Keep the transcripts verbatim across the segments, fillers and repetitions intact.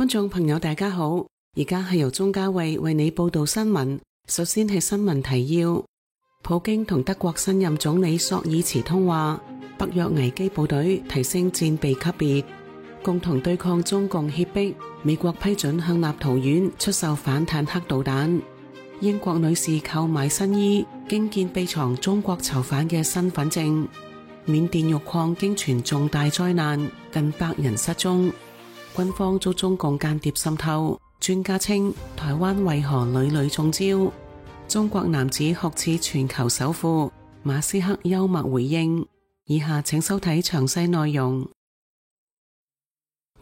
觀眾朋友大家好，而家係由鍾嘉慧為你報道新聞。首先係新聞提要：普京同德國新任總理朔爾茨通話，北約危機部隊提升戰備級別，共同對抗中共脅迫。美國批准向立陶宛出售反坦克導彈。英國女士購買新衣，驚見秘藏中國囚犯嘅身份證。緬甸玉礦驚傳重大災難，近百人失蹤。軍方遭中共間諜滲透，專家稱台灣為何屢屢中招？中國男子酷似全球首富，馬斯克幽默回應。以下請收睇詳細內容。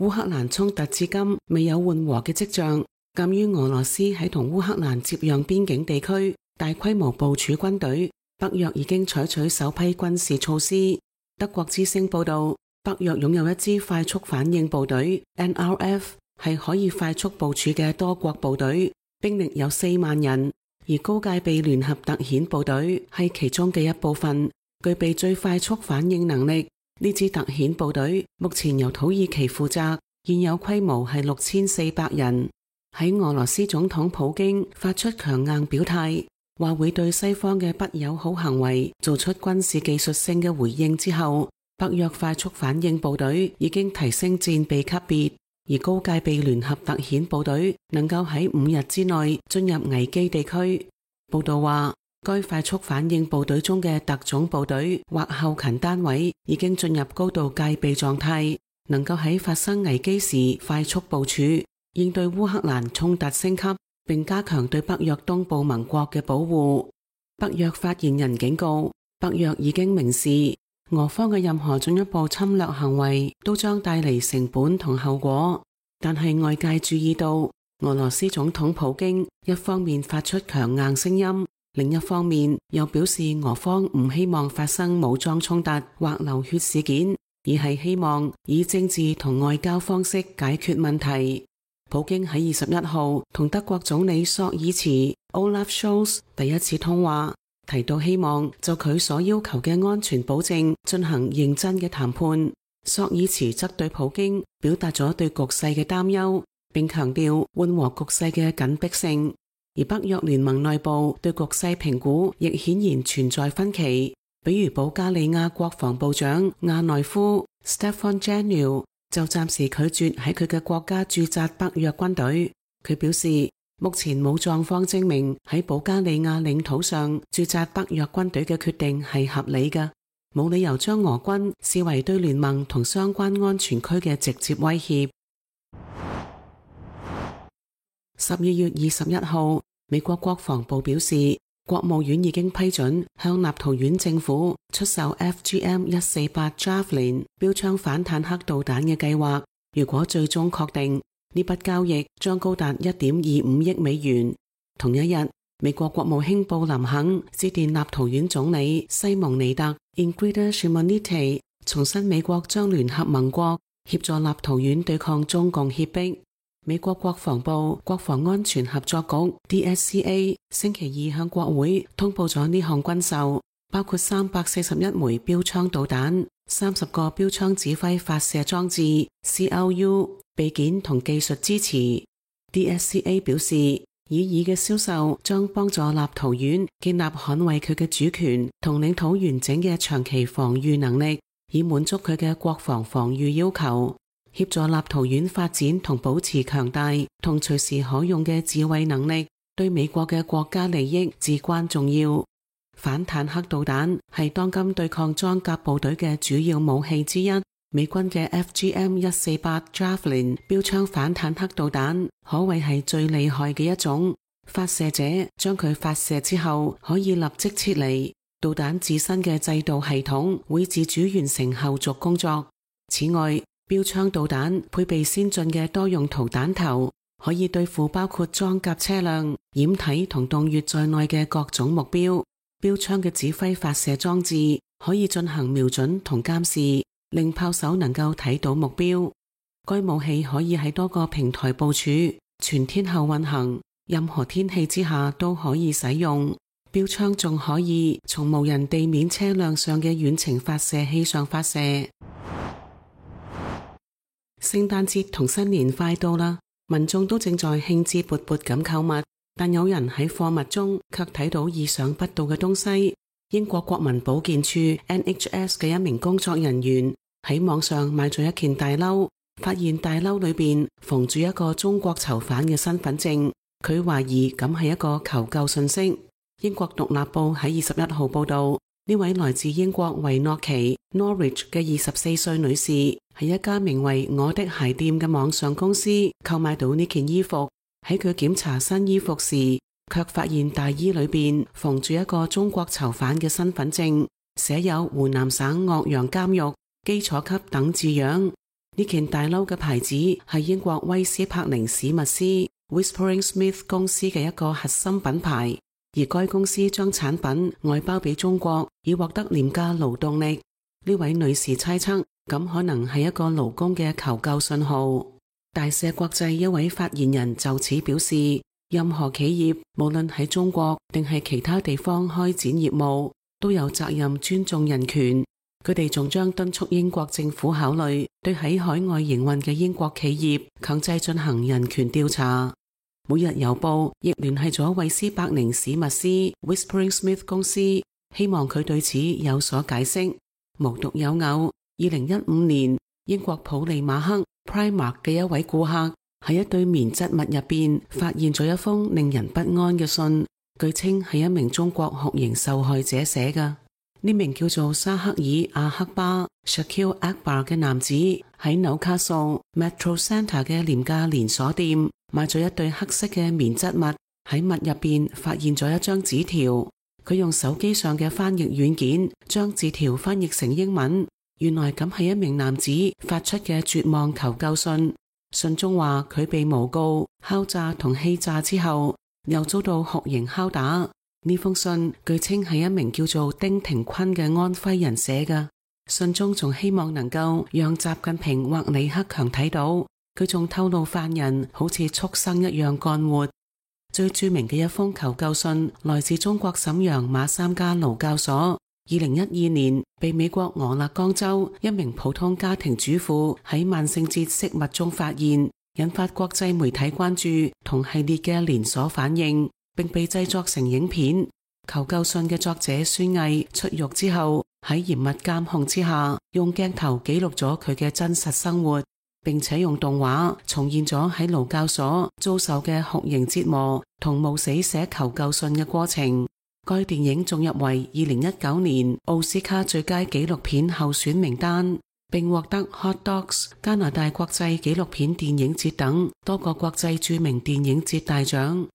烏克蘭衝突至今未有緩和嘅跡象，鑒於俄羅斯喺同烏克蘭接壤邊境地區大規模部署軍隊，北約已經採取首批軍事措施。德國之聲報道，北約擁有一支快速反應部隊 N R F， 係可以快速部署嘅多國部隊，兵力有四萬人，而高戒備聯合特遣部隊係其中嘅一部分，具備最快速反應能力。呢支特遣部隊目前由土耳其負責，現有規模係六千四百人。喺俄羅斯總統普京發出強硬表態，話會對西方嘅不友好行為做出軍事技術性嘅回應之後，北約快速反應部隊已經提升戰備級別，而高戒備聯合特遣部隊能夠喺五日之內進入危機地區。報道話，該快速反應部隊中嘅特種部隊或後勤單位已經進入高度戒備狀態，能夠喺發生危機時快速部署，應對烏克蘭衝突升級，並加強對北約東部盟國嘅保護。北約發言人警告，北約已經明示，俄方嘅任何進一步侵略行為都將帶嚟成本同後果。但係外界注意到，俄羅斯總統普京一方面發出強硬聲音，另一方面又表示俄方唔希望發生武裝衝突或流血事件，而係希望以政治同外交方式解決問題。普京喺二十一號同德國總理朔爾茨 Olaf Scholz 第一次通話，提到希望就佢所要求嘅安全保證進行認真嘅談判。朔爾茨則對普京表達咗對局勢嘅擔憂，並強調緩和局勢嘅緊迫性。而北約聯盟內部對局勢評估亦顯然存在分歧，比如保加利亞國防部長亞內夫 Stefan Janel 就暫時拒絕喺佢嘅國家駐紮北約軍隊。佢表示，目前冇狀況證明喺保加利亞領土上駐紮北約軍隊嘅決定係合理嘅，冇理由將俄軍視為對聯盟同相關安全區嘅直接威脅。十二月二十一號，美國國防部表示，國務院已經批准向立陶宛政府出售 F G M 一四八 Javelin 標槍反坦克導彈嘅計劃。如果最終確定，呢筆交易將高達一點二五億美元。同一日，美國國務卿布林肯致電立陶宛總理西蒙尼特 Ingrida Shimonytė， 重申美國將聯合盟國協助立陶宛對抗中共脅迫。美國國防部國防安全合作局 D S C A 星期二向國會通報咗呢項軍售，包括三百四十一枚標槍導彈、三十個標槍指揮發射裝置 C L U、備件同技術支持。D S C A 表示，以爾嘅銷售將幫助立陶宛建立捍衛佢嘅主權同領土完整嘅長期防禦能力，以滿足佢嘅國防防禦要求。協助立陶宛發展同保持強大同隨時可用嘅自衛能力，對美國嘅國家利益至關重要。反坦克導彈係當今對抗裝甲部隊嘅主要武器之一。美軍嘅 F G M 一四八 Javelin 標槍反坦克導彈可謂係最厲害嘅一種，發射者將佢發射之後可以立即撤離，導彈自身嘅制導系統會自主完成後續工作。此外，標槍導彈配備先進嘅多用途彈頭，可以對付包括裝甲車輛、掩體同洞穴在內嘅各種目標。標槍嘅指揮發射裝置可以進行瞄準同監視，令炮手能夠睇到目標。該武器可以喺多個平台部署，全天候運行，任何天氣之下都可以使用。標槍仲可以從無人地面車輛上嘅遠程發射器上發射。聖誕節同新年快到啦，民眾都正在興致勃勃咁購物，但有人喺貨物中卻睇到意想不到嘅東西。英國國民保健署 N H S 嘅一名工作人員喺網上買咗一件大褸，發現大褸裏邊縫住一個中國囚犯嘅身份證，佢懷疑咁係一個求救信息。英國獨立報喺二十一號報道，呢位來自英國維諾奇 Norwich 嘅二十四歲女士喺一家名為我的鞋店嘅網上公司購買到呢件衣服。喺佢檢查新衣服時，卻發現大衣裏邊縫住一個中國囚犯嘅身份證，寫有湖南省岳陽監獄基礎級等字樣。呢件大褸嘅牌子係英國威斯柏寧史密斯 Whispering Smith 公司嘅一個核心品牌，而該公司將產品外包俾中國，以獲得廉價勞動力。呢位女士猜測，咁可能係一個勞工嘅求救信號。大赦國際一位發言人就此表示，任何企業無論喺中國定係其他地方開展業務，都有責任尊重人權。佢哋仲將敦促英國政府考慮對喺海外營運嘅英國企業強制進行人權調查。每日郵報亦聯繫咗韋斯伯寧史密斯 Whispering Smith 公司，希望佢對此有所解釋。無獨有偶，二零一五年英國普利馬克 Primark 嘅一位顧客喺一堆棉質物入邊發現咗一封令人不安嘅信，據稱係一名中國酷刑受害者寫嘅。呢名叫做沙克爾阿克巴 Shakil Akbar 嘅男子喺紐卡素 Metro Centre 嘅廉價連鎖店買咗一對黑色嘅棉質物，喺物入邊發現咗一張紙條。佢用手機上嘅翻譯軟件將字條翻譯成英文，原來咁係一名男子發出嘅絕望求救信。信中話佢被誣告、敲詐同欺詐之後，又遭到酷刑拷打。呢封信據稱係一名叫做丁廷坤嘅安徽人寫嘅。信中仲希望能夠讓習近平或李克強睇到。佢仲透露犯人好似畜生一樣幹活。最著名嘅一封求救信來自中國瀋陽馬三家勞教所。二零一二年被美國俄勒岡州一名普通家庭主婦喺萬聖節飾物中發現，引發國際媒體關注同系列嘅連鎖反應，並被製作成影片。求救信嘅作者孫毅出獄之後，喺嚴密監控之下，用鏡頭記錄咗佢嘅真實生活，並且用動畫重現咗喺勞教所遭受嘅酷刑折磨同冒死寫求救信嘅過程。該電影仲入圍二零一九年奧斯卡最佳紀錄片候選名單，並獲得 Hot Docs 加拿大國際紀錄片電影節等多個國際著名電影節大獎。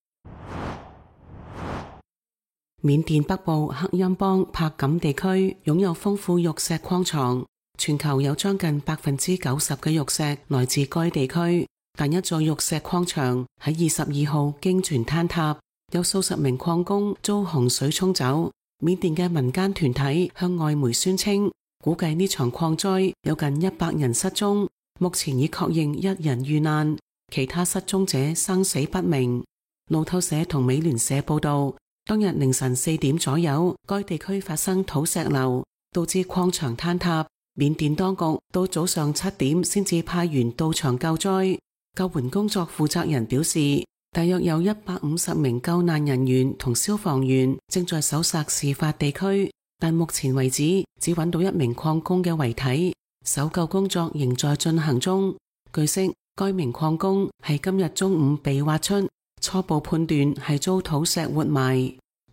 緬甸北部克欽邦柏錦地區擁有豐富玉石礦床，全球有將近百分之九十嘅玉石來自該地區，但一座玉石礦場喺二十二號驚傳坍塌。有數十名礦工遭洪水沖走。緬甸嘅民間團體向外媒宣稱，估計呢場礦災有近一百人失蹤，目前已確認一人遇難，其他失蹤者生死不明。路透社同美聯社報道，當日凌晨四點左右，該地區發生土石流，導致礦場坍塌。緬甸當局到早上七點先至派員到場救災。救援工作負責人表示，大約有一百五十名救難人員同消防員正在搜索事發地區，但目前為止只揾到一名礦工嘅遺體，搜救工作仍在進行中。據悉，該名礦工係今日中午被挖出，初步判斷係遭土石活埋。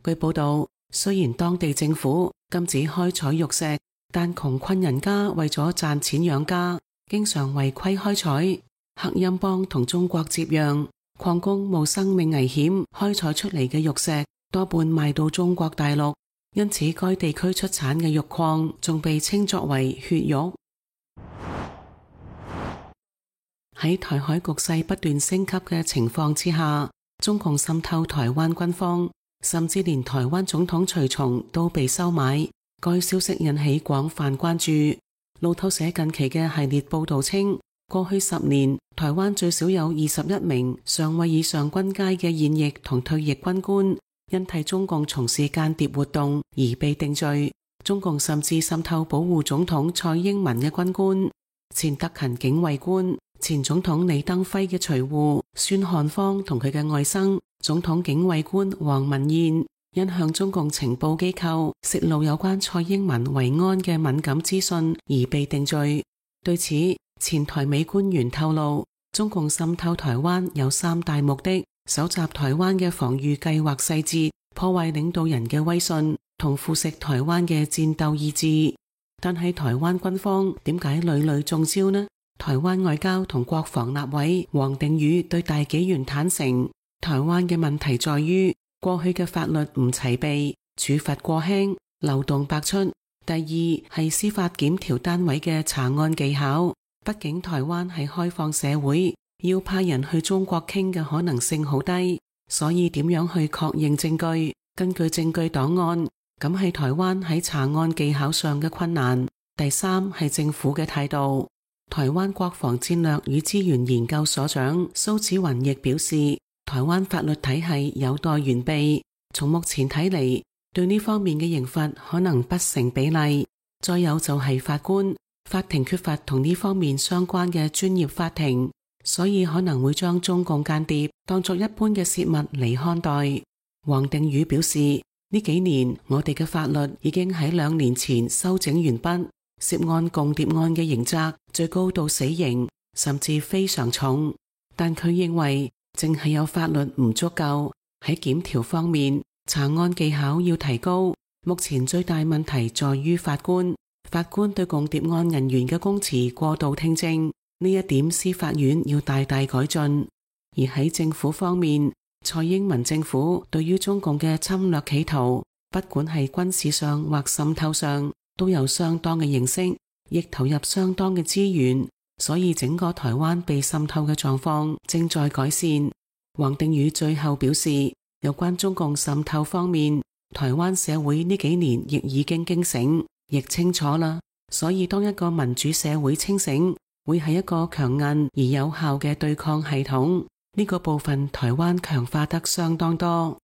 據報道，雖然當地政府禁止開採玉石，但窮困人家為咗賺錢養家，經常違規開採。克欽邦同中國接壤，礦工冒生命危險開採出嚟嘅玉石多半賣到中國大陸，因此該地區出產嘅玉礦仲被稱作為血玉。喺台海局勢不斷升級嘅情況之下，中共滲透台灣軍方，甚至連台灣總統隨從都被收買。該消息引起廣泛關注。路透社近期嘅系列報道稱，過去十年，台灣最少有二十一名上尉以上軍階嘅現役同退役軍官，因替中共從事間諜活動而被定罪。中共甚至滲透保護總統蔡英文嘅軍官、前特勤警衛官、前總統李登輝嘅隨扈孫漢芳同佢嘅外甥總統警衛官黃文彥因向中共情報機構泄露有關蔡英文維安嘅敏感資訊而被定罪。對此，前台美官員透露，中共滲透台灣有三大目的：搜集台灣嘅防禦計劃細節，破壞領導人嘅威信，同腐蝕台灣嘅戰鬥意志。但係台灣軍方點解屢屢中招呢？台灣外交同國防立委王定宇對大紀元坦承，台灣嘅問題在於過去嘅法律唔齊備，處罰過輕，漏洞百出。第二係司法檢調單位嘅查案技巧，畢竟台灣係開放社會，要派人去中國傾嘅可能性好低，所以點樣去確認證據，根據證據檔案，咁係台灣喺查案技巧上嘅困難。第三係政府嘅態度。台灣國防戰略與資源研究所長蘇紫雲亦表示，台灣法律體系有待完備，從目前睇嚟，對呢方面嘅刑罰可能不成比例。再有就係法官，法庭缺乏同呢方面相關嘅專業法庭，所以可能會將中共間諜當作一般嘅洩物嚟看待。王定宇表示，呢幾年我哋嘅法律已經喺兩年前修整完畢，涉案共諜案嘅刑責最高到死刑，甚至非常重。但佢認為淨係有法律唔足夠，喺檢調方面，查案技巧要提高。目前最大問題在於法官，法官對共諜案人員嘅供詞過度聽證，呢一點司法院要大大改進。而喺政府方面，蔡英文政府對於中共嘅侵略企圖，不管係軍事上或滲透上，都有相當嘅認識，亦投入相當嘅資源，所以整個台灣被滲透嘅狀況正在改善。王定宇最後表示，有關中共滲透方面，台灣社會呢幾年亦已經驚醒，亦清楚啦。所以當一個民主社會清醒，會係一個強硬而有效嘅對抗系統。呢個部分台灣強化得相當多。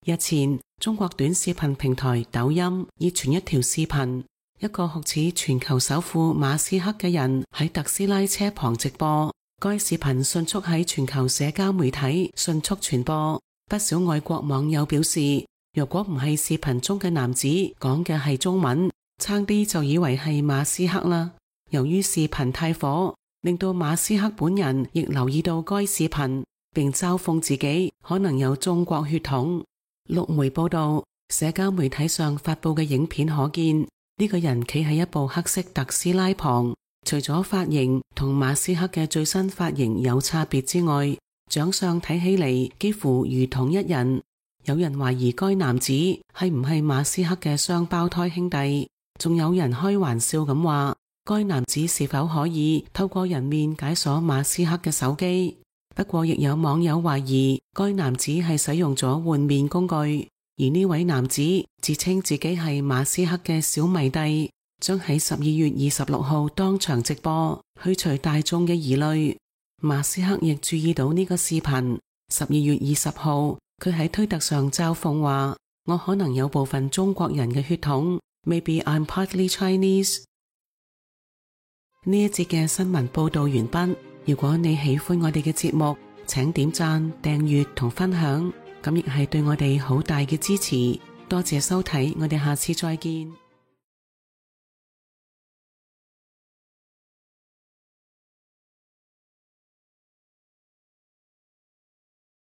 日前，中國短視頻平台抖音熱傳一條視頻，一個酷似全球首富馬斯克嘅人喺特斯拉車旁直播。該視頻迅速喺全球社交媒體迅速傳播，不少外國網友表示，若果唔係視頻中嘅男子講嘅係中文，差啲就以為係馬斯克啦。由於視頻太火，令到馬斯克本人亦留意到該視頻，並嘲諷自己可能有中國血統。陸媒報道，社交媒體上發佈嘅影片可見，呢個人企喺一部黑色特斯拉旁，除咗髮型同馬斯克嘅最新髮型有差別之外，長相睇起嚟幾乎如同一人。有人懷疑該男子係唔係馬斯克嘅雙胞胎兄弟，仲有人開玩笑咁話，該男子是否可以透過人面解鎖馬斯克嘅手機。不過亦有網友懷疑該男子係使用咗換面工具，而呢位男子自稱自己係馬斯克嘅小迷弟，將喺十二月二十六號當場直播，去除大眾嘅疑慮。馬斯克亦注意到呢個視頻，十二月二十號佢喺推特上嘲諷話，我可能有部分中國人嘅血統 ，Maybe I'm partly Chinese。呢一節嘅新聞報道完畢。如果你喜歡我哋嘅節目，請點讚、訂閱同分享，咁亦係對我哋好大嘅支持。多謝收睇，我哋下次再見。